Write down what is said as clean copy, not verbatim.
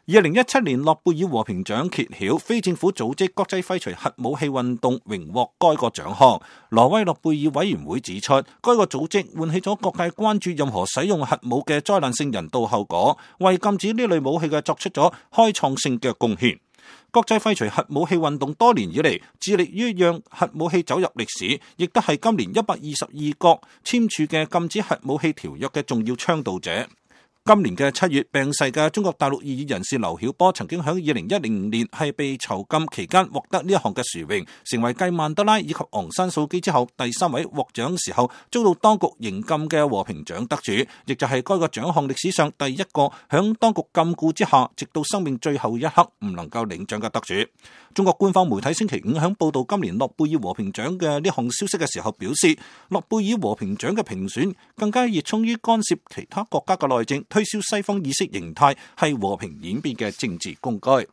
2017年諾貝爾和平獎揭曉，非政府組織國際廢除核武器運動榮獲該個獎項。挪威諾貝爾委員會指出，該個組織喚起咗各界關注任何使用核武嘅災難性人道後果，為禁止呢類武器嘅作出咗開創性嘅貢獻。國際廢除核武器運動多年以嚟，致力於讓核武器走入歷史，亦都係今年122國簽署嘅禁止核武器條約嘅重要倡導者。今年嘅7月病逝嘅中國大陸異議人士劉曉波，曾經喺2010年係被囚禁期間獲得呢一項嘅殊榮，成為繼曼德拉以及昂山素姬之後第3位獲獎時候遭到當局刑禁嘅和平獎得主，亦就係該個獎項歷史上第一個響當局禁錮之下，直到生命最後一刻唔能夠領獎嘅得主。中國官方媒體星期5響報道今年諾貝爾和平獎嘅呢項消息嘅時候表示，諾貝爾和平獎嘅評選更加熱衷於干涉其他國家嘅內政，推銷西方意識形態係和平演變嘅政治工具。